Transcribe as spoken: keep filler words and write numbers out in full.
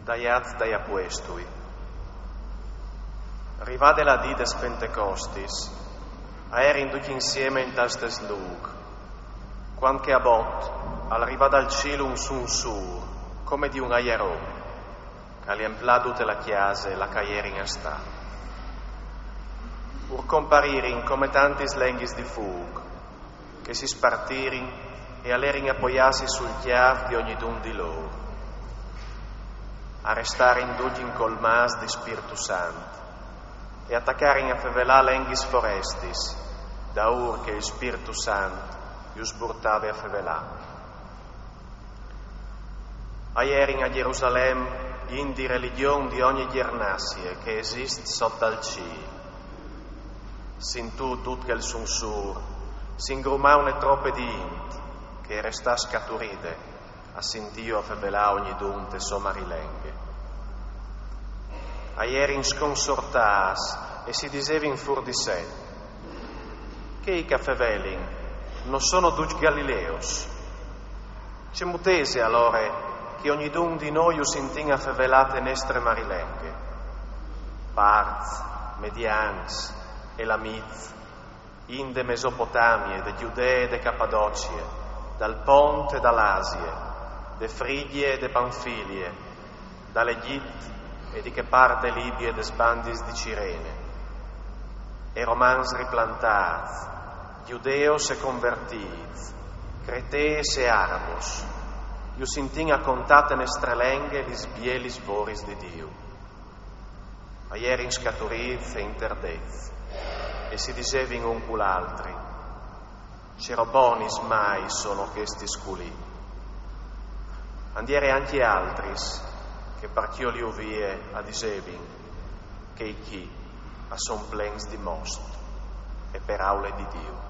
Dai Ats dai Apuestui. Rivade la dì des Pentecostis, a jerin ducj insiemi intal stes lûc, cuant che a bot al rivà dal cîl un sunsûr, come di un aiaron, che al implà dute la cjase là che a jerin a stâ. Ur comparirin come tantis lenghis di fûc, che si spartirin e a lerin apoiâsi sul cjâf di ognidun di lôr. A restarin ducj incolmâts di Spirtu Sant e a tacarin a fevelâ lenghis forestis, daûr che il Spirtu Sant ju sburtave a fevelâ. A jerin a Jerusalem int di religjon di ogni gjernazie che e esist sot dal cîl. Sintût dut chel sunsûr, si ingrumà une trope di int, che e restà scaturide a sintîju a fevelâ ognidun te sô marilenghe. A jerin sconsortâts e si disevin fûr di se: Chei che a fevelin no sono ducj galileos? Cemût ese alore che ognidun di nô ju sintìn a fevelâ te nestre marilenghe? Parts, medians, elamits, int de Mesopotamie, de Judee e de Capadocie, dal Pont e da l'Asie, de Frigjie e de Panfilie, dal Egjit e di chê part de Libie des bandis di Cirene. E romans riplantâts, judeos e convertîts, cretees e arabos, ju sintìn a contâ te nestre lenghe lis bielis voris di Diu. A jerin scaturîts e interdets, e si disevin un cul altri: Ce robonis mai sono chestis culì? And jere ancje altris che par cjoliju vie a disevin: Chei chi a son plens di most e peraule di Diu.